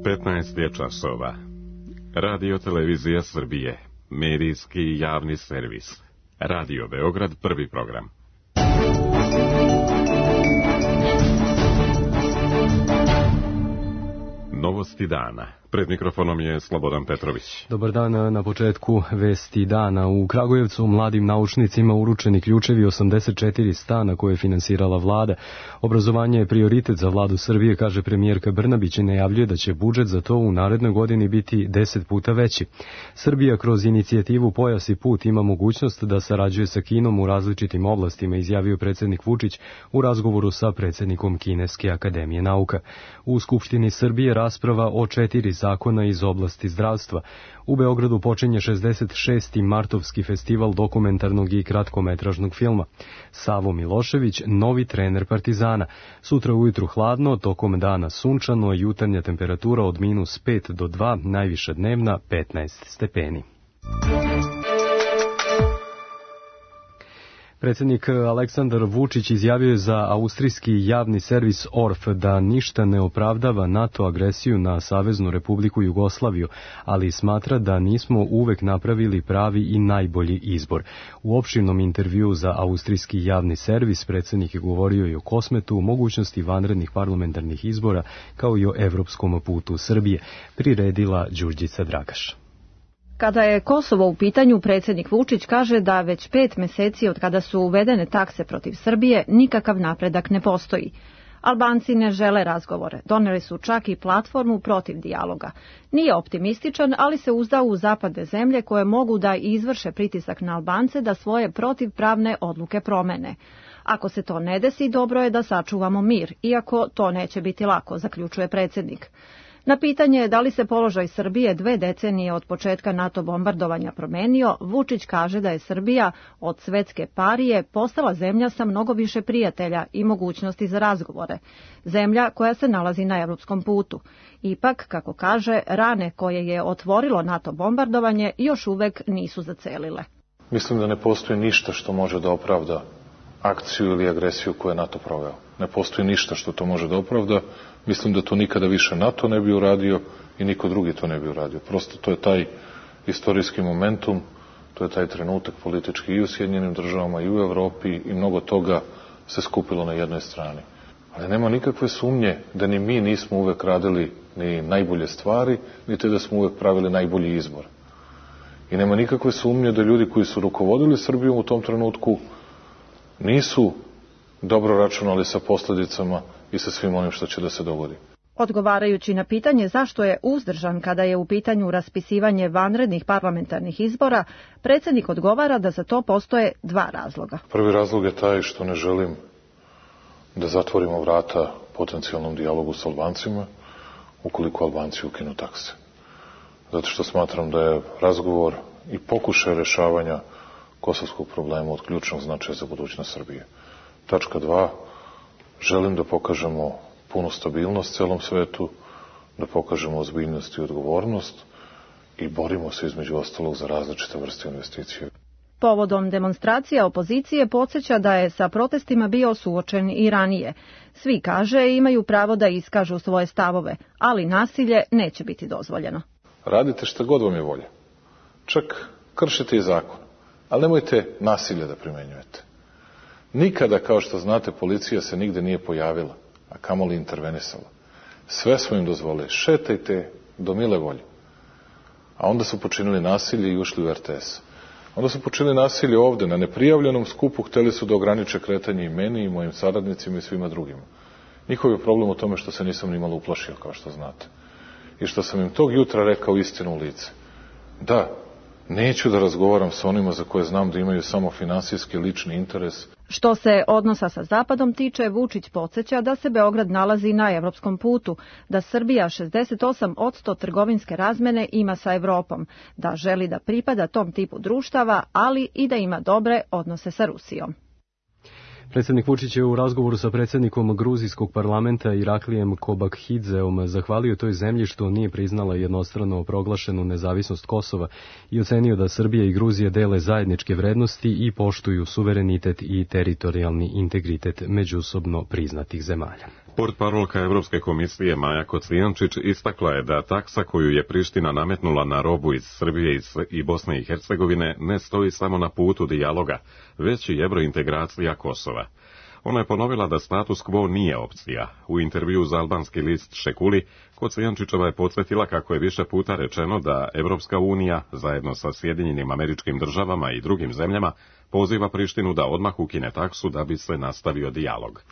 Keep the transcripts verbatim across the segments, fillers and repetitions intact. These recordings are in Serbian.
petnaest je časova. Radio Televizija Srbije, medijski javni servis. Radio Beograd, prvi program. Novosti dana. Pred mikrofonom je Slobodan Petrović. Dobar dan. Na početku vesti dana. U Kragujevcu mladim naučnicima uručeni ključevi osamdeset četiri stana koje je finansirala vlada. Obrazovanje je prioritet za vladu Srbije, kaže premijerka Brnabić i najavljuje da će budžet za to u narednoj godini biti deset puta veći. Srbija kroz inicijativu Pojas i put ima mogućnost da sarađuje sa Kinom u različitim oblastima, izjavio predsjednik Vučić u razgovoru sa predsjednikom Kineske akademije nauka. U Skupštini Srbije rasprava o četiri zakona iz oblasti zdravstva. U Beogradu počinje šezdeset šesti Martovski festival dokumentarnog i kratkometražnog filma. Savo Milošević, novi trener Partizana. Sutra ujutru hladno, tokom dana sunčano, jutarnja temperatura od minus pet do dva, najviša dnevna petnaest stepeni. Predsjednik Aleksandar Vučić izjavio je za austrijski javni servis O R F da ništa ne opravdava NATO agresiju na Saveznu Republiku Jugoslaviju, ali smatra da nismo uvek napravili pravi i najbolji izbor. U opširnom intervjuu za austrijski javni servis predsjednik je govorio i o Kosmetu, mogućnosti vanrednih parlamentarnih izbora, kao i o evropskom putu Srbije, priredila Đurđica Dragaš. Kada je Kosovo u pitanju, predsjednik Vučić kaže da već pet meseci od kada su uvedene takse protiv Srbije, nikakav napredak ne postoji. Albanci ne žele razgovore, doneli su čak i platformu protiv dijaloga. Nije optimističan, ali se uzda u zapadne zemlje koje mogu da izvrše pritisak na Albance da svoje protivpravne odluke promene. Ako se to ne desi, dobro je da sačuvamo mir, iako to neće biti lako, zaključuje predsjednik. Na pitanje da li se položaj Srbije dve decenije od početka NATO bombardovanja promenio, Vučić kaže da je Srbija od svetske parije postala zemlja sa mnogo više prijatelja i mogućnosti za razgovore. Zemlja koja se nalazi na evropskom putu. Ipak, kako kaže, rane koje je otvorilo NATO bombardovanje još uvek nisu zacelile. Mislim da ne postoji ništa što može da opravda akciju ili agresiju koju je NATO proveo. Ne postoji ništa što to može da opravda. Mislim da to nikada više NATO ne bi uradio i niko drugi to ne bi uradio. Prosto to je taj istorijski momentum, to je taj trenutak politički i u Sjedinjenim državama i u Evropi i mnogo toga se skupilo na jednoj strani. Ali nema nikakve sumnje da ni mi nismo uvek radili ni najbolje stvari, niti da smo uvek pravili najbolji izbor. I nema nikakve sumnje da ljudi koji su rukovodili Srbijom u tom trenutku nisu dobro računali sa posljedicama i sa svim onim što će da se dogodi. Odgovarajući na pitanje zašto je uzdržan kada je u pitanju raspisivanje vanrednih parlamentarnih izbora, predsjednik odgovara da za to postoje dva razloga. Prvi razlog je taj što ne želim da zatvorimo vrata potencijalnom dijalogu s Albancima ukoliko Albanci ukinu takse. Zato što smatram da je razgovor i pokušaj rešavanja kosovskog problema od ključnog značaja za budućnost Srbije. Tačka dva. Želim da pokažemo punu stabilnost celom svetu, da pokažemo ozbiljnost i odgovornost i borimo se između ostalog za različite vrste investicije. Povodom demonstracija opozicije podsjeća da je sa protestima bio suočen i ranije. Svi, kaže, imaju pravo da iskažu svoje stavove, ali nasilje neće biti dozvoljeno. Radite šta god vam je volja. Čak kršite i zakon, ali nemojte nasilje da primenjujete. Nikada, kao što znate, policija se nigde nije pojavila, a kamoli intervenisala. Sve smo im dozvolili, šetajte do mile volje. A onda su počinili nasilje i ušli u R T S. Onda su počinili nasilje ovde, na neprijavljenom skupu, hteli su da ograniče kretanje i meni, i mojim saradnicima i svima drugima. Njihov je problem u tome što se nisam nimalo uplašio, kao što znate. I što sam im tog jutra rekao istinu u lice. Da, neću da razgovaram sa onima za koje znam da imaju samo finansijski lični interes. Što se odnosa sa Zapadom tiče, Vučić podsjeća da se Beograd nalazi na evropskom putu, da Srbija šezdeset osam posto trgovinske razmene ima sa Evropom, da želi da pripada tom tipu društava, ali i da ima dobre odnose sa Rusijom. Predsjednik Vučić je u razgovoru sa predsjednikom gruzijskog parlamenta Iraklijem Kobakhidzeom zahvalio toj zemlji što nije priznala jednostrano proglašenu nezavisnost Kosova i ocenio da Srbija i Gruzija dele zajedničke vrednosti i poštuju suverenitet i teritorijalni integritet međusobno priznatih zemalja. Portparolka Evropske komisije Maja Kocijančić istakla je da taksa koju je Priština nametnula na robu iz Srbije i Bosne i Hercegovine ne stoji samo na putu dijaloga, već i evrointegracija Kosova. Ona je ponovila da status quo nije opcija. U intervju za albanski list Šekuli, Kocijančićeva je podsjetila kako je više puta rečeno da Evropska unija, zajedno sa Sjedinjenim Američkim Državama i drugim zemljama, poziva Prištinu da odmah ukine taksu da bi se nastavio dijalog.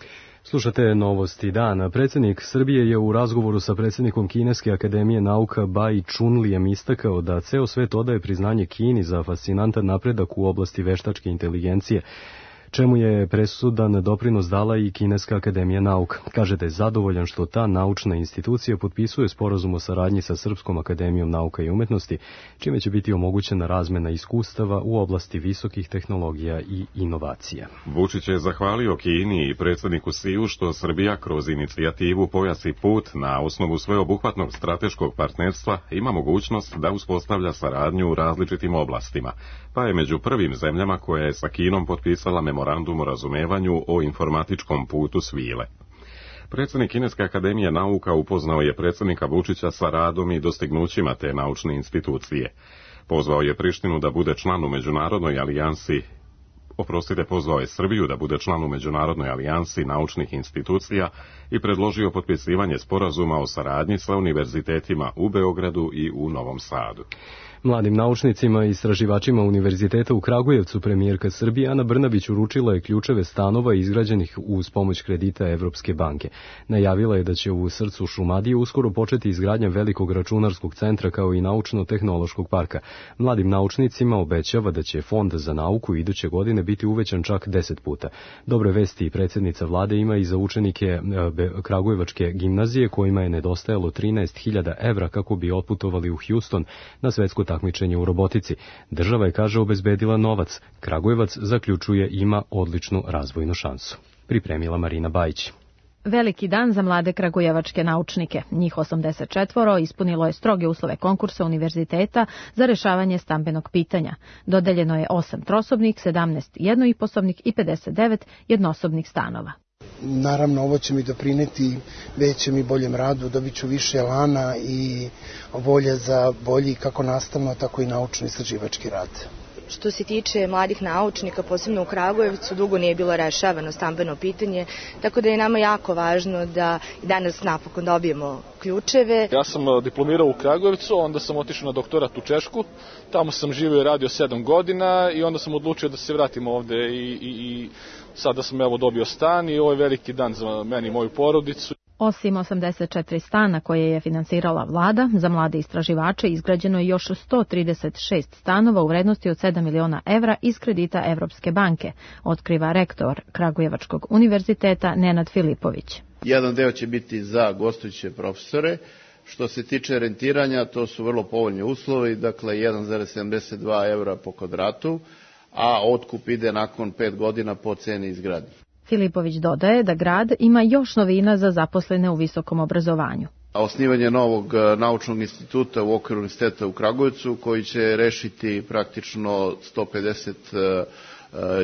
Slušate Novosti dana. Predsjednik Srbije je u razgovoru sa predsjednikom Kineske akademije nauka Bai Chunlijem istakao da ceo svet odaje priznanje Kini za fascinantan napredak u oblasti veštačke inteligencije, čemu je presudan doprinos dala i Kineska akademija nauka. Kaže da je zadovoljan što ta naučna institucija potpisuje sporazum o saradnji sa Srpskom akademijom nauka i umetnosti, čime će biti omogućena razmena iskustava u oblasti visokih tehnologija i inovacija. Vučić je zahvalio Kini i predsjedniku Siju što Srbija kroz inicijativu Pojas i put na osnovu sveobuhvatnog strateškog partnerstva ima mogućnost da uspostavlja saradnju u različitim oblastima, pa je među prvim zemljama koja je sa Kinom potpisala memorandum o razumevanju o informatičkom putu svile. Predsjednik Kineske akademije nauka upoznao je predsjednika Vučića sa radom i dostignućima te naučne institucije. Pozvao je Prištinu da bude član u međunarodnoj alijansi Oprostite, pozvao je Srbiju da bude član u Međunarodnoj alijansi naučnih institucija i predložio potpisivanje sporazuma o saradnji sa univerzitetima u Beogradu i u Novom Sadu. Mladim naučnicima i istraživačima Univerziteta u Kragujevcu premijerka Srbije Ana Brnabić uručila je ključeve stanova izgrađenih uz pomoć kredita Evropske banke. Najavila je da će u srcu Šumadije uskoro početi izgradnja velikog računarskog centra kao i naučno-tehnološkog parka. Mladim naučnicima obećava da će fond za nauku iduće godine biti uvećan čak deset puta. Dobre vesti i predsjednica vlade ima i za učenike Kragujevačke gimnazije kojima je nedostajalo trinaest hiljada evra kako bi otputovali u Houston na svetsko takmičenje u robotici. Država je, kaže, obezbedila novac. Kragujevac, zaključuje, ima odličnu razvojnu šansu. Pripremila Marina Bajić. Veliki dan za mlade kragujevačke naučnike. Njih osamdeset četvoro ispunilo je stroge uslove konkursa univerziteta za rešavanje stambenog pitanja. Dodeljeno je osam trosobnih, sedamnaest jednoiposobnih i pedeset devet jednosobnih stanova. Naravno, ovo će mi doprineti većem i boljem radu, dobit ću više elana i volje za bolji kako nastavno, tako i naučno-istraživački rad. Što se tiče mladih naučnika, posebno u Kragujevcu, dugo nije bilo rešavano stambeno pitanje, tako da je nama jako važno da danas napokon dobijemo ključeve. Ja sam diplomirao u Kragujevcu, onda sam otišao na doktorat u Češku, tamo sam živio i radio sedam godina i onda sam odlučio da se vratim ovde i, i, i sada sam evo dobio stan i ovo je veliki dan za meni i moju porodicu. Osim osamdeset četiri stana koje je finansirala vlada, za mlade istraživače izgrađeno je još sto trideset šest stanova u vrednosti od sedam miliona evra iz kredita Evropske banke, otkriva rektor Kragujevačkog univerziteta Nenad Filipović. Jedan deo će biti za gostujuće profesore. Što se tiče rentiranja, to su vrlo povoljni uslovi, dakle jedan zarez sedamdeset dva evra po kvadratu, a otkup ide nakon pet godina po ceni izgradnje. Filipović dodaje da grad ima još novina za zaposlene u visokom obrazovanju. Osnivanje novog naučnog instituta u okviru Univerziteta u Kragujevcu koji će rešiti praktično sto pedeset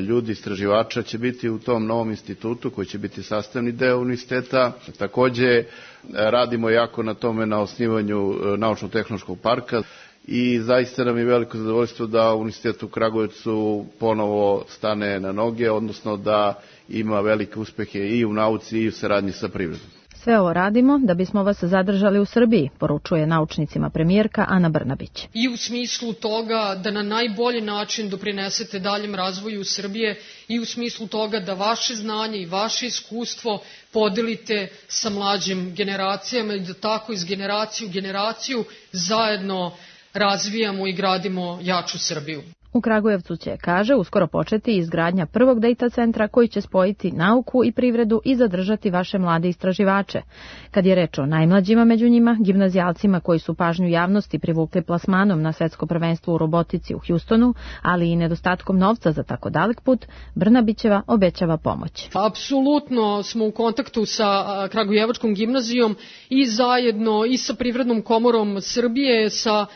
ljudi, istraživača će biti u tom novom institutu koji će biti sastavni deo univerziteta. Takođe radimo jako na tome na osnivanju naučno-tehnološkog parka i zaista nam je veliko zadovoljstvo da Univerzitet u Kragujevcu ponovo stane na noge, odnosno da ima velike uspehe i u nauci i u saradnji sa privredom. Sve ovo radimo da bismo vas zadržali u Srbiji, poručuje naučnicima premijerka Ana Brnabić. I u smislu toga da na najbolji način doprinesete daljem razvoju Srbije i u smislu toga da vaše znanje i vaše iskustvo podelite sa mlađim generacijama i da tako iz generacije u generaciju zajedno razvijamo i gradimo jaču Srbiju. U Kragujevcu će, kaže, uskoro početi izgradnja prvog data centra koji će spojiti nauku i privredu i zadržati vaše mlade istraživače. Kad je reč o najmlađima među njima, gimnazijalcima koji su pažnju javnosti privukli plasmanom na svetsko prvenstvo u robotici u Houstonu, ali i nedostatkom novca za tako dalek put, Brnabićeva obećava pomoć. Apsolutno smo u kontaktu sa Kragujevačkom gimnazijom i zajedno i sa Privrednom komorom Srbije, sa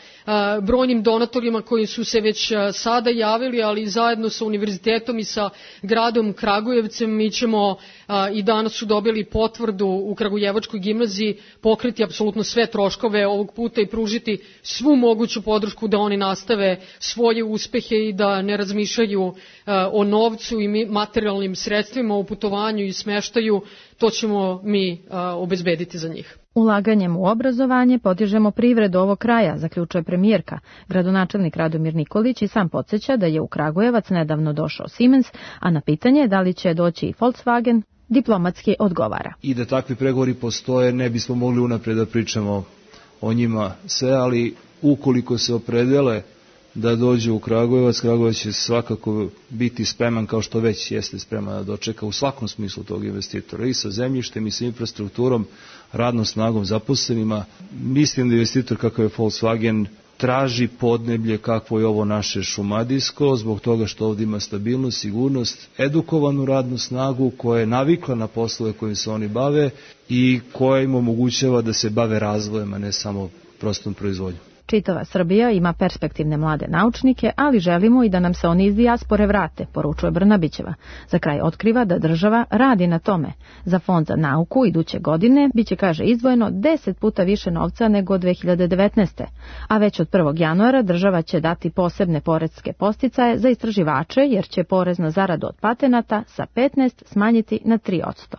brojnim donatorima koji su se već sada javili, ali zajedno sa univerzitetom i sa gradom Kragujevcem mi ćemo i danas su dobili potvrdu u Kragujevačkoj gimnaziji pokriti apsolutno sve troškove ovog puta i pružiti svu moguću podršku da oni nastave svoje uspehe i da ne razmišljaju o novcu i materijalnim sredstvima, o putovanju i smeštaju. To ćemo mi obezbediti za njih. Ulaganjem u obrazovanje podižemo privredu ovog kraja, zaključuje premijerka. Gradonačelnik Radomir Nikolić i sam podsjeća da je u Kragujevac nedavno došao Siemens, a na pitanje da li će doći i Volkswagen, diplomatski odgovara. I da takvi pregovori postoje, ne bismo mogli unapred da pričamo o njima sve, ali ukoliko se opredele da dođe u Kragujevac, Kragujevac će svakako biti spreman, kao što već jeste spreman da dočeka u svakom smislu tog investitora, i sa zemljištem i sa infrastrukturom, radnom snagom, zaposlenima. Mislim da investitor kakav je Volkswagen traži podneblje kakvo je ovo naše šumadijsko, zbog toga što ovdje ima stabilnost, sigurnost, edukovanu radnu snagu koja je navikla na poslove kojim se oni bave i koja im omogućava da se bave razvojem, a ne samo prostom proizvodnjom. Čitava Srbija ima perspektivne mlade naučnike, ali želimo i da nam se oni iz dijaspore vrate, poručuje Brnabićeva. Za kraj otkriva da država radi na tome. Za Fond za nauku iduće godine biće, kaže, izdvojeno deset puta više novca nego dve hiljade devetnaeste. A već od prvog januara država će dati posebne poreske podsticaje za istraživače, jer će porez na zaradu od patenata sa petnaest smanjiti na tri posto.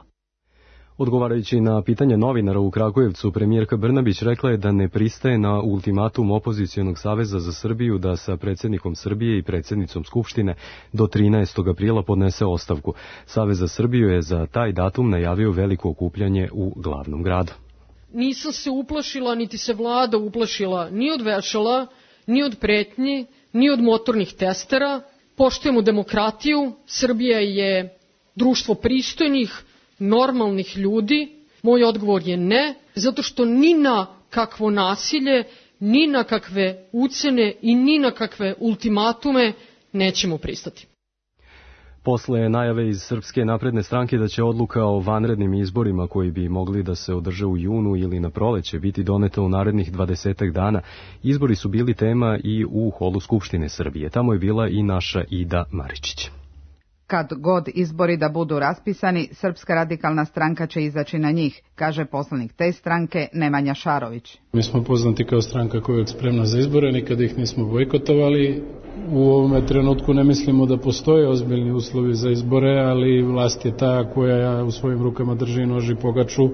Odgovarajući na pitanje novinara u Kragujevcu, premijerka Brnabić rekla je da ne pristaje na ultimatum Opozicijonog saveza za Srbiju da sa predsjednikom Srbije i predsjednicom Skupštine do trinaestog aprila podnese ostavku. Savez za Srbiju je za taj datum najavio veliko okupljanje u glavnom gradu. Nisam se uplašila, niti se vlada uplašila ni od vešala, ni od pretnji, ni od motornih testera. Poštujemo demokratiju, Srbija je društvo pristojnih, normalnih ljudi. Moj odgovor je ne, zato što ni na kakvo nasilje, ni na kakve ucene i ni na kakve ultimatume nećemo pristati. Posle najave iz Srpske napredne stranke da će odluka o vanrednim izborima koji bi mogli da se održe u junu ili na proleće biti doneta u narednih dvadesetak dana, izbori su bili tema i u holu Skupštine Srbije. Tamo je bila i naša Ida Maričić. Kad god izbori da budu raspisani, Srpska radikalna stranka će izaći na njih, kaže poslanik te stranke Nemanja Šarović. Mi smo poznati kao stranka koja je spremna za izbore, nikada ih nismo bojkotovali. U ovome trenutku ne mislimo da postoje ozbiljni uslovi za izbore, ali vlast je ta koja u svojim rukama drži nož i pogaču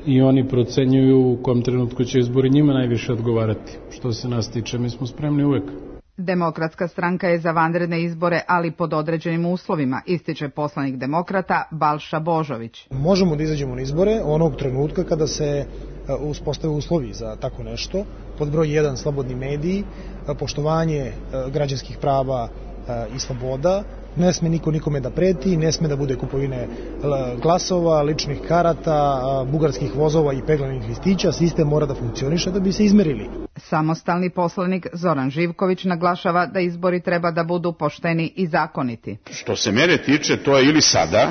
i oni procenjuju u kom trenutku će izbori njima najviše odgovarati. Što se nas tiče, mi smo spremni uvek. Demokratska stranka je za vanredne izbore, ali pod određenim uslovima, ističe poslanik demokrata Balša Božović. Možemo da izađemo na izbore onog trenutka kada se uspostave uslovi za tako nešto. Pod broj jedan, slobodni mediji, poštovanje građanskih prava i sloboda. Ne sme niko nikome da preti, ne sme da bude kupovine glasova, ličnih karata, bugarskih vozova i peglanih listića. Sistem mora da funkcioniše da bi se izmerili. Samostalni poslanik Zoran Živković naglašava da izbori treba da budu pošteni i zakoniti. Što se mene tiče, to je ili sada,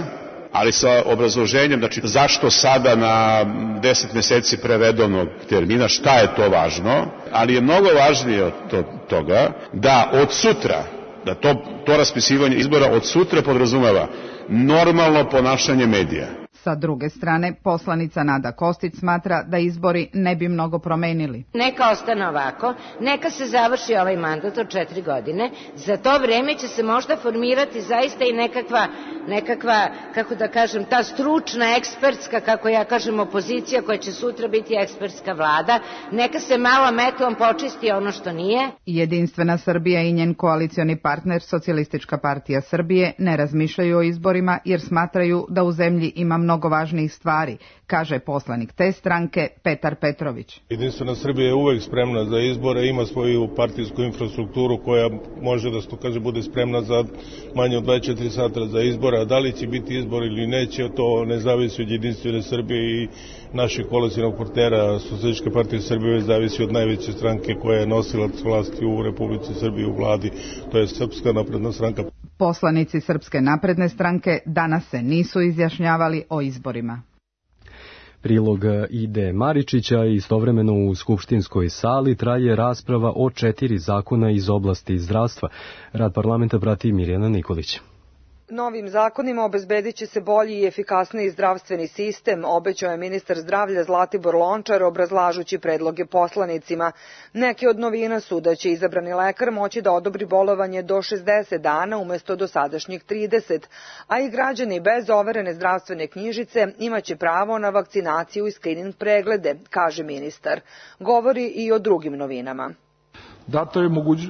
ali sa obrazloženjem, znači zašto sada na deset meseci pre redovnog termina, šta je to važno, ali je mnogo važnije od toga da od sutra, da to, to raspisivanje izbora od sutra podrazumeva normalno ponašanje medija. Sa druge strane, poslanica Nada Kostić smatra da izbori ne bi mnogo promenili. Neka ostane ovako, neka se završi ovaj mandat od četiri godine, za to vreme će se možda formirati zaista i nekakva, nekakva, kako da kažem, ta stručna, ekspertska, kako ja kažem, opozicija koja će sutra biti ekspertska vlada, neka se malo metlom počisti ono što nije. Jedinstvena Srbija i njen koalicioni partner Socijalistička partija Srbije ne razmišljaju o izborima jer smatraju da u zemlji ima mnogo mnogo važnijih stvari, kaže poslanik te stranke Petar Petrović. Jedinstvena Srbija je uvek spremna za izbore, ima svoju partijsku infrastrukturu koja može da, što kaže, bude spremna za manje od dvadeset četiri sata za izbore, a da li će biti izbor ili neće, to ne zavisi od Jedinstvene Srbije i naših koalicionog partnera Socijalističke partije Srbije, zavisi od najveće stranke koja je nosilac vlasti u Republici Srbiji u vladi, to je Srpska napredna stranka. Poslanici Srpske napredne stranke danas se nisu izjašnjavali o izborima. Prilog Ide Maričića i istovremeno u skupštinskoj sali traje rasprava o četiri zakona iz oblasti zdravstva. Rad parlamenta prati Mirjana Nikolić. Novim zakonima obezbedit će se bolji i efikasniji zdravstveni sistem, obećao je ministar zdravlja Zlatibor Lončar obrazlažući predloge poslanicima. Neke od novina su da će izabrani lekar moći da odobri bolovanje do šezdeset dana umesto dosadašnjih trideset, a i građani bez overene zdravstvene knjižice imaće pravo na vakcinaciju i skrining preglede, kaže ministar. Govori i o drugim novinama. Data je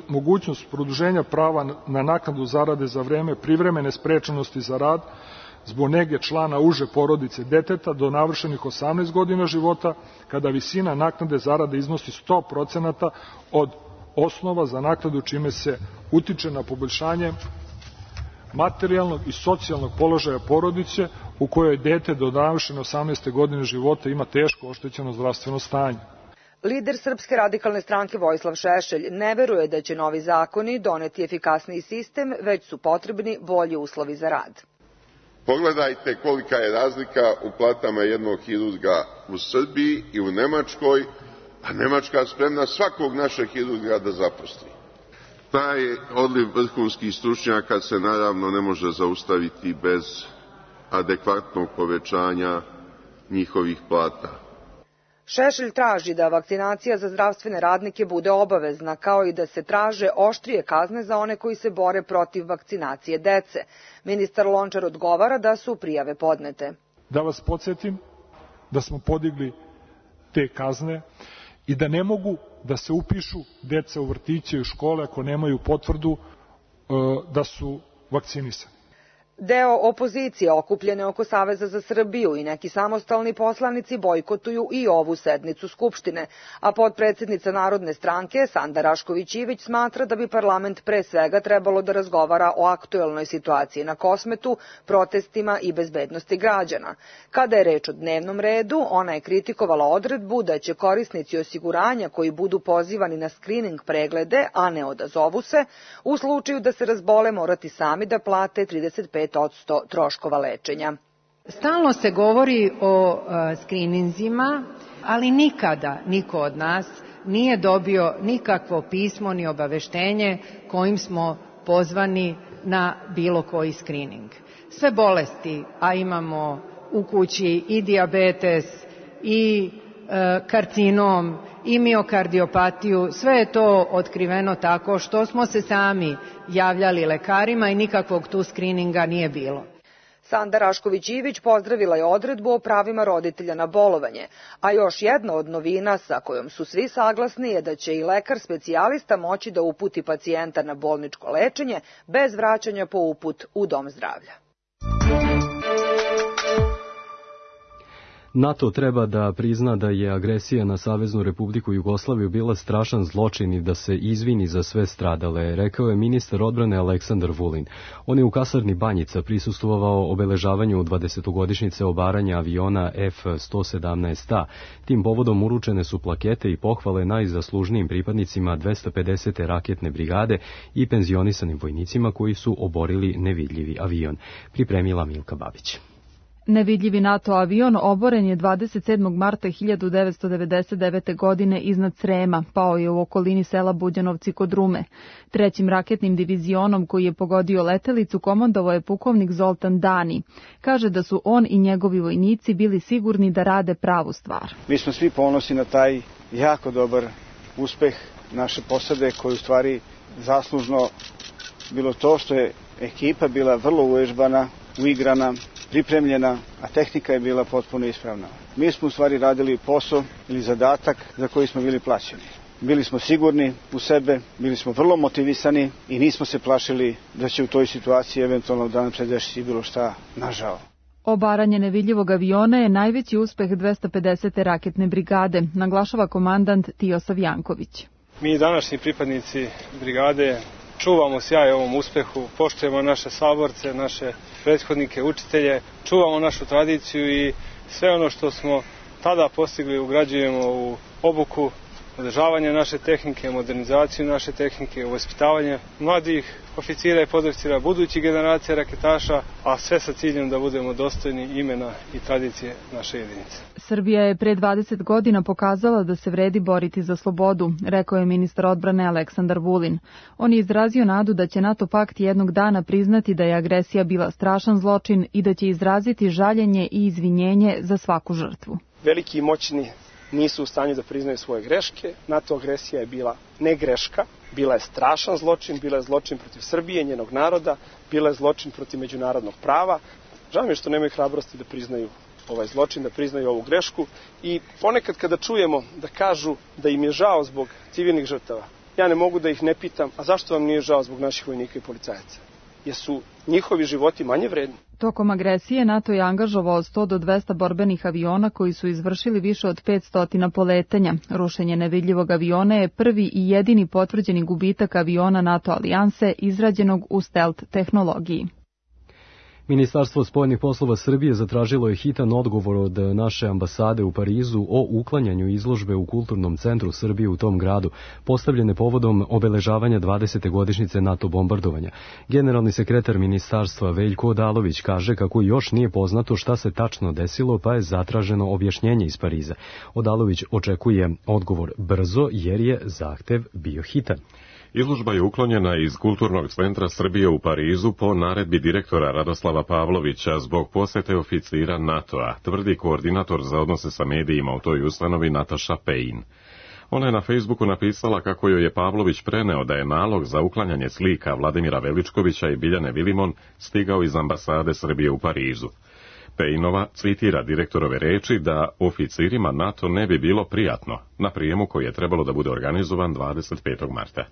mogućnost produženja prava na naknadu zarade za vreme privremene sprečenosti za rad zbog nege člana uže porodice deteta do navršenih osamnaest godina života, kada visina naknade zarade iznosi sto procenata od osnova za naknadu, čime se utiče na poboljšanje materijalnog i socijalnog položaja porodice u kojoj dete do navršene osamnaeste godine života ima teško oštećeno zdravstveno stanje. Lider Srpske radikalne stranke Vojislav Šešelj ne veruje da će novi zakoni doneti efikasniji sistem, već su potrebni bolji uslovi za rad. Pogledajte kolika je razlika u platama jednog hirurga u Srbiji i u Nemačkoj, a Nemačka spremna svakog našeg hirurga da zaposli. Taj odliv vrhunskih stručnjaka se naravno ne može zaustaviti bez adekvatnog povećanja njihovih plata. Šešelj traži da vakcinacija za zdravstvene radnike bude obavezna, kao i da se traže oštrije kazne za one koji se bore protiv vakcinacije dece. Ministar Lončar odgovara da su prijave podnete. Da vas podsjetim da smo podigli te kazne i da ne mogu da se upišu deca u vrtiće i u škole ako nemaju potvrdu da su vakcinisani. Deo opozicije okupljene oko Saveza za Srbiju i neki samostalni poslanici bojkotuju i ovu sednicu Skupštine, a potpredsednica Narodne stranke Sanda Rašković-Ivić smatra da bi parlament pre svega trebalo da razgovara o aktuelnoj situaciji na Kosmetu, protestima i bezbednosti građana. Kada je reč o dnevnom redu, ona je kritikovala odredbu da će korisnici osiguranja koji budu pozivani na skrining preglede, a ne odazovu se, u slučaju da se razbole morati sami da plate trideset pet odsto troškova lečenja. Stalno se govori o uh, skrininzima, ali nikada niko od nas nije dobio nikakvo pismo ni obaveštenje kojim smo pozvani na bilo koji skrining. Sve bolesti, a imamo u kući i dijabetes i uh, karcinom i miokardiopatiju, sve je to otkriveno tako što smo se sami javljali lekarima i nikakvog tu skrininga nije bilo. Sanda Rašković-Ivić pozdravila je odredbu o pravima roditelja na bolovanje, a još jedna od novina sa kojom su svi saglasni je da će i lekar specijalista moći da uputi pacijenta na bolničko lečenje bez vraćanja po uput u dom zdravlja. NATO treba da prizna da je agresija na Saveznu Republiku Jugoslaviju bila strašan zločin i da se izvini za sve stradale, rekao je ministar odbrane Aleksandar Vulin. On je u kasarni Banjica prisustvovao obeležavanju dvadesetogodišnjice obaranja aviona F sto sedamnaest A. Tim povodom uručene su plakete i pohvale najzaslužnijim pripadnicima dvesta pedesete raketne brigade i penzionisanim vojnicima koji su oborili nevidljivi avion. Pripremila Milka Babić. Nevidljivi NATO avion oboren je dvadeset sedmog marta hiljadu devetsto devedeset devete. godine iznad Srema, pao je u okolini sela Buđanovci kod Rume. Trećim raketnim divizionom koji je pogodio letelicu komandovao je pukovnik Zoltan Dani. Kaže da su on i njegovi vojnici bili sigurni da rade pravu stvar. Mi smo svi ponosni na taj jako dobar uspeh naše posade koji u stvari zaslužno bilo to što je ekipa bila vrlo uvežbana, uigrana, pripremljena, a tehnika je bila potpuno ispravna. Mi smo u stvari radili posao ili zadatak za koji smo bili plaćeni. Bili smo sigurni u sebe, bili smo vrlo motivisani i nismo se plašili da će u toj situaciji eventualno da nam se desi bilo šta nažao. Obaranje nevidljivog aviona je najveći uspeh dvesta pedesete raketne brigade, naglašava komandant Tijosaf Janković. Mi današnji pripadnici brigade čuvamo sjaj ovom uspehu, poštujemo naše saborce, naše prethodnike, učitelje, čuvamo našu tradiciju i sve ono što smo tada postigli ugrađujemo u obuku održavanje naše tehnike, modernizaciju naše tehnike, vaspitavanje mladih oficira i podoficira, budućih generacija raketaša, a sve sa ciljem da budemo dostojni imena i tradicije naše jedinice. Srbija je pre dvadeset godina pokazala da se vredi boriti za slobodu, rekao je ministar odbrane Aleksandar Vulin. On je izrazio nadu da će NATO pakt jednog dana priznati da je agresija bila strašan zločin i da će izraziti žaljenje i izvinjenje za svaku žrtvu. Veliki i moćni nisu u stanju da priznaju svoje greške. NATO agresija je bila ne greška, bila je strašan zločin, bila je zločin protiv Srbije, njenog naroda, bila je zločin protiv međunarodnog prava. Žao mi je što nemaju hrabrosti da priznaju ovaj zločin, da priznaju ovu grešku i ponekad kada čujemo da kažu da im je žao zbog civilnih žrtava, ja ne mogu da ih ne pitam, a zašto vam nije žao zbog naših vojnika i policajaca? Jesu njihovi životi manje vredni? Tokom agresije NATO je angažovao sto do dvesta borbenih aviona koji su izvršili više od petsto poletanja. Rušenje nevidljivog aviona je prvi i jedini potvrđeni gubitak aviona NATO alijanse izrađenog u stealth tehnologiji. Ministarstvo spoljnih poslova Srbije zatražilo je hitan odgovor od naše ambasade u Parizu o uklanjanju izložbe u Kulturnom centru Srbije u tom gradu, postavljene povodom obeležavanja dvadesete godišnjice NATO bombardovanja. Generalni sekretar ministarstva Veljko Odalović kaže kako još nije poznato šta se tačno desilo, pa je zatraženo objašnjenje iz Pariza. Odalović očekuje odgovor brzo jer je zahtev bio hitan. Izložba je uklonjena iz Kulturnog centra Srbije u Parizu po naredbi direktora Radoslava Pavlovića zbog posete oficira NATO-a, tvrdi koordinator za odnose sa medijima u toj ustanovi Nataša Pejin. Ona je na Facebooku napisala kako joj je Pavlović preneo da je nalog za uklanjanje slika Vladimira Veličkovića i Biljane Vilimon stigao iz ambasade Srbije u Parizu. Pejinova citira direktorove reči da oficirima NATO ne bi bilo prijatno na prijemu koji je trebalo da bude organizovan dvadeset petog marta.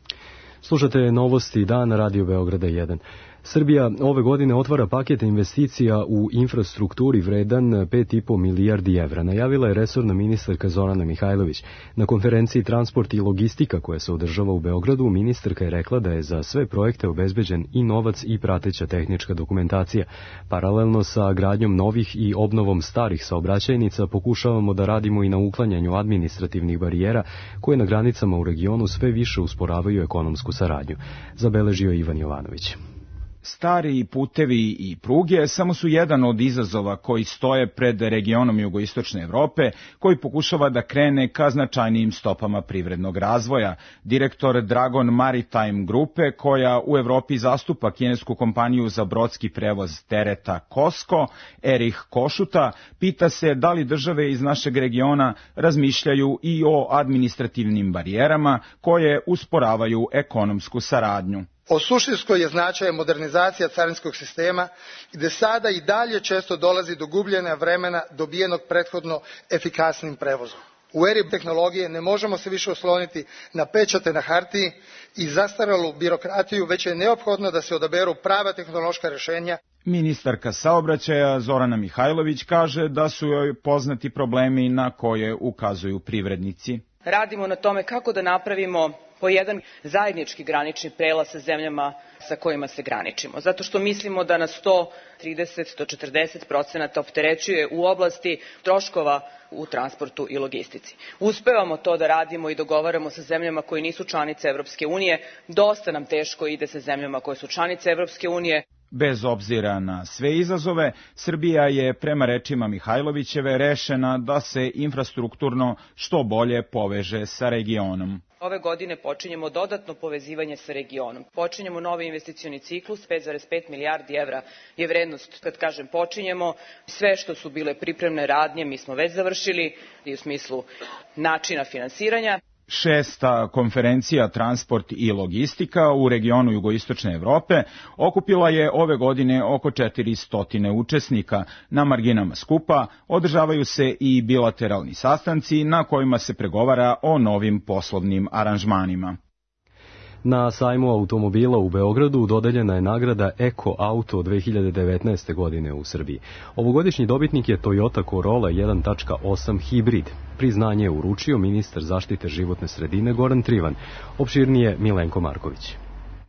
Slušate novosti Dan Radio Beograda jedan. Srbija ove godine otvara paket investicija u infrastrukturi vredan pet i po milijardi evra, najavila je resorna ministarka Zorana Mihajlović. Na konferenciji Transport i logistika koja se održava u Beogradu, ministarka je rekla da je za sve projekte obezbeđen i novac i prateća tehnička dokumentacija. Paralelno sa gradnjom novih i obnovom starih saobraćajnica pokušavamo da radimo i na uklanjanju administrativnih barijera koje na granicama u regionu sve više usporavaju ekonomsku saradnju, zabeležio Ivan Jovanović. Stari putevi i pruge samo su jedan od izazova koji stoje pred regionom jugoistočne Evrope, koji pokušava da krene ka značajnijim stopama privrednog razvoja. Direktor Dragon Maritime grupe, koja u Evropi zastupa kinesku kompaniju za brodski prevoz tereta Kosko, Erich Košuta, pita se da li države iz našeg regiona razmišljaju i o administrativnim barijerama koje usporavaju ekonomsku saradnju. O suštinskoj je značaja modernizacija carinskog sistema, gde sada i dalje često dolazi do gubljenja vremena dobijenog prethodno efikasnim prevozom. U eri tehnologije ne možemo se više osloniti na pečate na hartiji i zastaralu birokratiju, već je neophodno da se odaberu prava tehnološka rešenja. Ministarka saobraćaja Zorana Mihajlović kaže da su joj poznati problemi na koje ukazuju privrednici. Radimo na tome kako da napravimo po jedan zajednički granični prelaz sa zemljama sa kojima se graničimo. Zato što mislimo da nas sto trideset do četrdeset procenata opterećuje u oblasti troškova u transportu i logistici. Uspevamo to da radimo i dogovaramo sa zemljama koje nisu članice Evropske unije. Dosta nam teško ide sa zemljama koje su članice Evropske unije. Bez obzira na sve izazove, Srbija je prema rečima Mihajlovićeve rešena da se infrastrukturno što bolje poveže sa regionom. Ove godine počinjemo dodatno povezivanje sa regionom. Počinjemo novi investicioni ciklus, pet zarez pet milijardi evra je vrednost. Kad kažem počinjemo, sve što su bile pripremne radnje mi smo već završili i u smislu načina finansiranja. Šesta konferencija Transport i logistika u regionu jugoistočne Evrope okupila je ove godine oko četiristo učesnika. Na marginama skupa održavaju se i bilateralni sastanci na kojima se pregovara o novim poslovnim aranžmanima. Na sajmu automobila u Beogradu dodeljena je nagrada Eko Auto dve hiljade devetnaeste. godine u Srbiji. Ovogodišnji dobitnik je Toyota Corolla jedan tačka osam hibrid. Priznanje je uručio ministar zaštite životne sredine Goran Trivan. Opširnije Milenko Marković.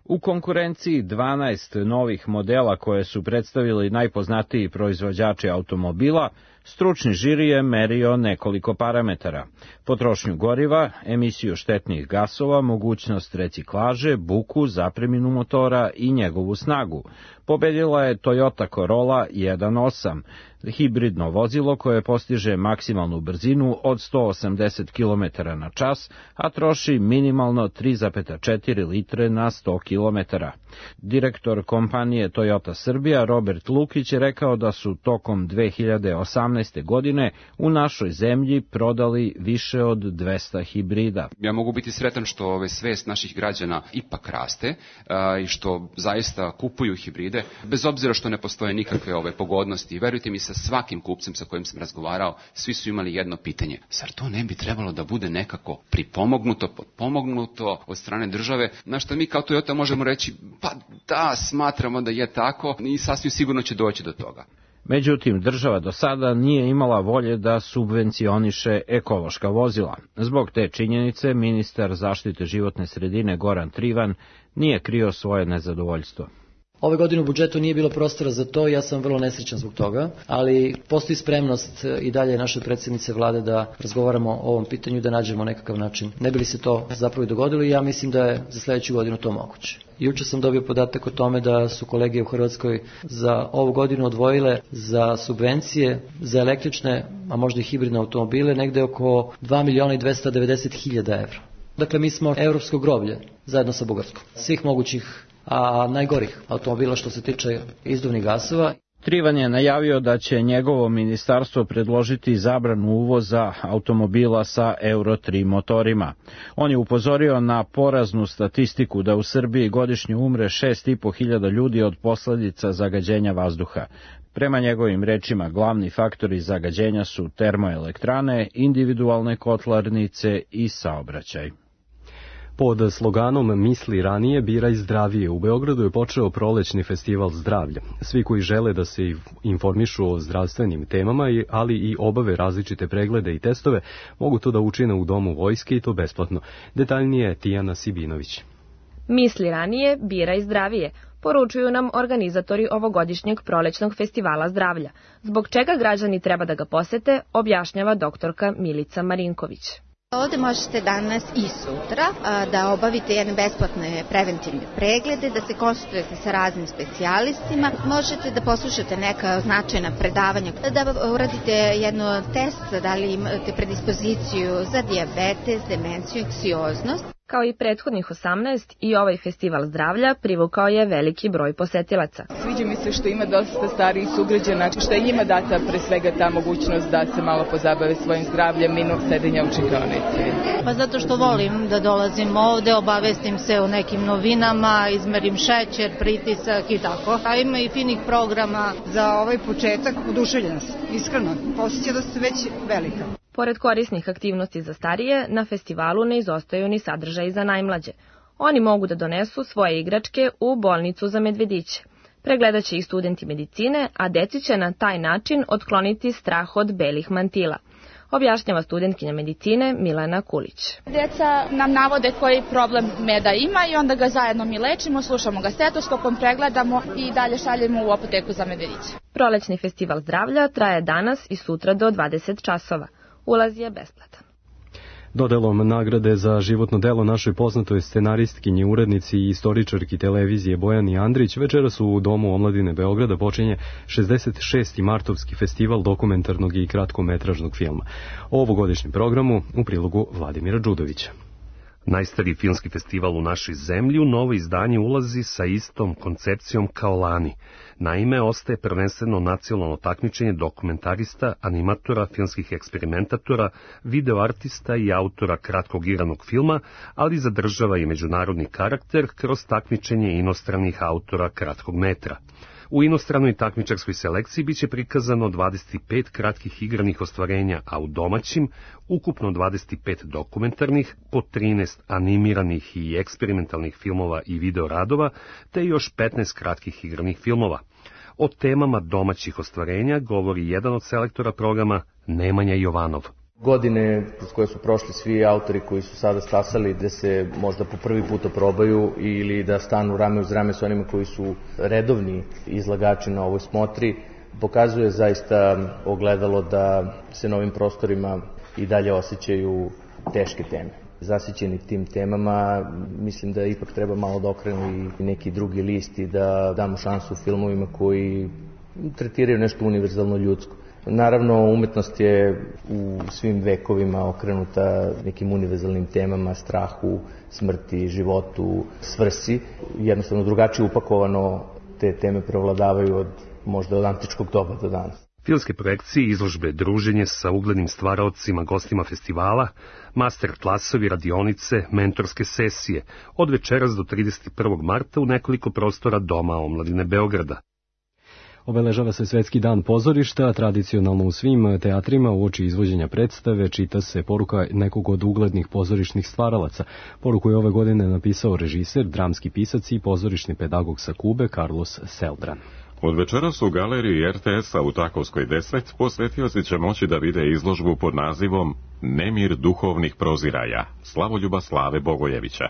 U konkurenciji dvanaest novih modela koje su predstavili najpoznatiji proizvođači automobila, Stručni žiri je merio nekoliko parametara: potrošnju goriva, emisiju štetnih gasova, mogućnost reciklaže, buku, zapreminu motora i njegovu snagu. Pobedila je Toyota Corolla jedan osam, hibridno vozilo koje postiže maksimalnu brzinu od sto osamdeset kilometara na čas, a troši minimalno tri zarez četiri litre na sto kilometara. Direktor kompanije Toyota Srbija Robert Lukić je rekao da su tokom dve hiljade osamnaeste. godine u našoj zemlji prodali više od dvesta hibrida. Ja mogu biti sretan što ove svest naših građana ipak raste a, i što zaista kupuju hibride, bez obzira što ne postoje nikakve ove pogodnosti. Verujte mi, sa svakim kupcem sa kojim sam razgovarao, svi su imali jedno pitanje: zar to ne bi trebalo da bude nekako pripomognuto, potpomognuto od strane države? Na što mi kao Toyota možemo reći, pa da, smatramo da je tako i sasvim sigurno će doći do toga. Međutim, država do sada nije imala volje da subvencioniše ekološka vozila. Zbog te činjenice, ministar zaštite životne sredine Goran Trivan nije krio svoje nezadovoljstvo. Ove godine u budžetu nije bilo prostora za to i ja sam vrlo nesrećan zbog toga, ali postoji spremnost i dalje naše predsjednice vlade da razgovaramo o ovom pitanju, da nađemo nekakav način. Ne bi li se to zapravo i dogodilo i ja mislim da je za sljedeću godinu to moguće. Juče sam dobio podatak o tome da su kolege u Hrvatskoj za ovu godinu odvojile za subvencije za električne, a možda i hibridne automobile, negde oko dva miliona i dvesta devedeset hiljada evra. Dakle, mi smo europsko groblje zajedno sa Bugarskom. Svih mogućih, a najgorih automobila što se tiče izduvnih gasova. Trivan je najavio da će njegovo ministarstvo predložiti zabranu uvoza automobila sa Euro tri motorima. On je upozorio na poraznu statistiku da u Srbiji godišnje umre šest i po hiljada ljudi od posljedica zagađenja vazduha. Prema njegovim rečima, glavni faktori zagađenja su termoelektrane, individualne kotlarnice i saobraćaj. Pod sloganom Misli ranije, biraj zdravije, u Beogradu je počeo prolećni festival zdravlja. Svi koji žele da se informišu o zdravstvenim temama, ali i obave različite preglede i testove, mogu to da učine u Domu vojske i to besplatno. Detaljnije Tijana Sibinović. Misli ranije, biraj zdravije, poručuju nam organizatori ovogodišnjeg prolećnog festivala zdravlja. Zbog čega građani treba da ga posete, objašnjava doktorka Milica Marinković. Ovde možete danas i sutra da obavite jedne besplatne preventivne preglede, da se konsultujete sa raznim specijalistima, možete da poslušate neka značajna predavanja, da uradite jedno test da li imate predispoziciju za dijabetes, demenciju i anksioznost. Kao i prethodnih osamnaest, i ovaj festival zdravlja privukao je veliki broj posetilaca. Sviđa mi se što ima dosta starijih sugrađana, što je njima data pre svega ta mogućnost da se malo pozabave svojim zdravljem mimo sedenja u čekaonici. Pa zato što volim da dolazim ovde, obavestim se o nekim novinama, izmerim šećer, pritisak i tako. A ima i finih programa za ovaj početak. Oduševljena sam, iskreno. Osjeća da ste već velika. Pored korisnih aktivnosti za starije, na festivalu ne izostaju ni sadržaji za najmlađe. Oni mogu da donesu svoje igračke u bolnicu za medvediće. Pregledat će i studenti medicine, a deci će na taj način otkloniti strah od belih mantila. Objašnjava studentkinja medicine Milana Kulić. Djeca nam navode koji problem meda ima i onda ga zajedno mi lečimo, slušamo ga stetoskopom, pregledamo i dalje šaljemo u apoteku za medvediće. Prolećni festival zdravlja traje danas i sutra do dvadeset časova. Ulaz je besplatan. Dodelom nagrade za životno delo našoj poznatoj scenaristkinji, urednici i istoričarki televizije Bojani Andrić večeras u Domu omladine Beograda počinje šezdeset šesti martovski festival dokumentarnog i kratkometražnog filma. O ovogodišnjem programu u prilogu Vladimira Đudovića. Najstariji filmski festival u našoj zemlji u novo izdanje ulazi sa istom koncepcijom kao lani. Naime, ostaje prvenstveno nacionalno takmičenje dokumentarista, animatora, filmskih eksperimentatora, videoartista i autora kratkog igranog filma, ali zadržava i međunarodni karakter kroz takmičenje inostranih autora kratkog metra. U inostranoj takmičarskoj selekciji biće prikazano dvadeset pet kratkih igranih ostvarenja, a u domaćim ukupno dvadeset pet dokumentarnih, po trinaest animiranih i eksperimentalnih filmova i videoradova, te još petnaest kratkih igranih filmova. O temama domaćih ostvarenja govori jedan od selektora programa, Nemanja Jovanov. Godine kroz koje su prošli svi autori koji su sada stasali da se možda po prvi put probaju ili da stanu rame uz rame s onima koji su redovni izlagači na ovoj smotri, pokazuje zaista ogledalo da se na ovim prostorima i dalje osjećaju teške teme. Zasićeni tim temama, mislim da ipak treba malo da okrenu i neki drugi list i da damo šansu filmovima koji tretiraju nešto univerzalno ljudsko. Naravno, umetnost je u svim vekovima okrenuta nekim univerzalnim temama, strahu, smrti, životu, svrsi. Jednostavno drugačije upakovano te teme prevladavaju od možda od antičkog doba do danas. Filmske projekcije, izložbe, druženje sa uglednim stvaraocima, gostima festivala, master klasovi, radionice, mentorske sesije, od večeras do trideset prvog marta u nekoliko prostora Doma omladine Beograda. Obeležava se Svetski dan pozorišta, tradicionalno u svim teatrima uoči izvođenja predstave čita se poruka nekog od uglednih pozorišnih stvaralaca. Poruku je ove godine napisao režiser, dramski pisac i pozorišni pedagog sa Kube Carlos Celdran. Od večeras u galeriji er te es-a u Takovskoj deset posvetioci će moći da vide izložbu pod nazivom Nemir duhovnih proziraja, Slavoljuba Slave Bogojevića.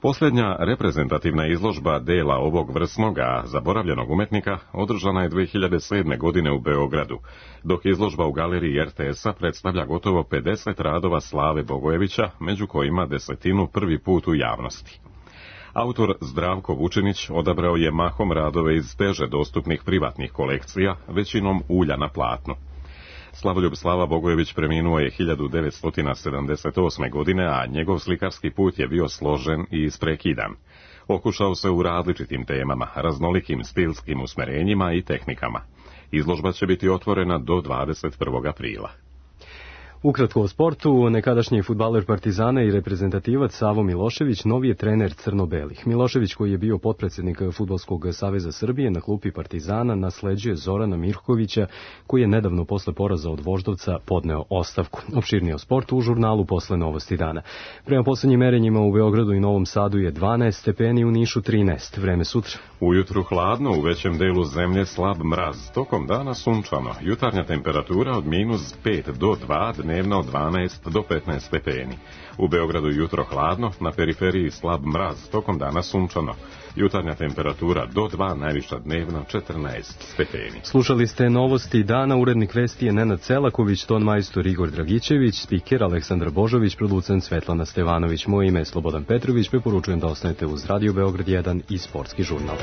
Posljednja reprezentativna izložba dela ovog vrsnoga zaboravljenog umetnika održana je dve hiljade sedme. godine u Beogradu, dok izložba u galeriji er te es-a predstavlja gotovo pedeset radova Slave Bogojevića, među kojima desetinu prvi put u javnosti. Autor Zdravko Vučinić odabrao je mahom radove iz teže dostupnih privatnih kolekcija, većinom ulja na platnu. Slavoljub Slava Bogojević preminuo je hiljadu devetsto sedamdeset osme. godine, a njegov slikarski put je bio složen i isprekidan. Okušao se u različitim temama, raznolikim stilskim usmerenjima i tehnikama. Izložba će biti otvorena do dvadeset prvog aprila. Ukratko o sportu, nekadašnji fudbaler Partizana i reprezentativac Savo Milošević novi je trener crno-belih. Milošević, koji je bio potpredsjednik Fudbalskog saveza Srbije, na klupi Partizana nasleđuje Zorana Mirkovića, koji je nedavno posle poraza od Voždovca podneo ostavku. Opširnije o sportu u žurnalu posle Novosti dana. Prema poslednjim merenjima u Beogradu i Novom Sadu je dvanaest stepeni, u Nišu trinaest. Vreme sutra. Ujutru hladno, u većem delu zemlje slab mraz. Tokom dana sunčano. Jutarnja temperatura od minus pet do dva, dnevna od dvanaest do petnaest stepeni. U Beogradu jutro hladno, na periferiji slab mraz, tokom dana sunčano. Jutarnja temperatura do dva, najviša dnevna četrnaest stepeni. Slušali ste Novosti dana, urednik vesti je Nenad Celaković, ton majstor Igor Dragićević, spiker Aleksandar Božović, producent Svetlana Stevanović. Moje ime je Slobodan Petrović, preporučujem da ostanete uz Radio Beograd jedan i Sportski žurnal.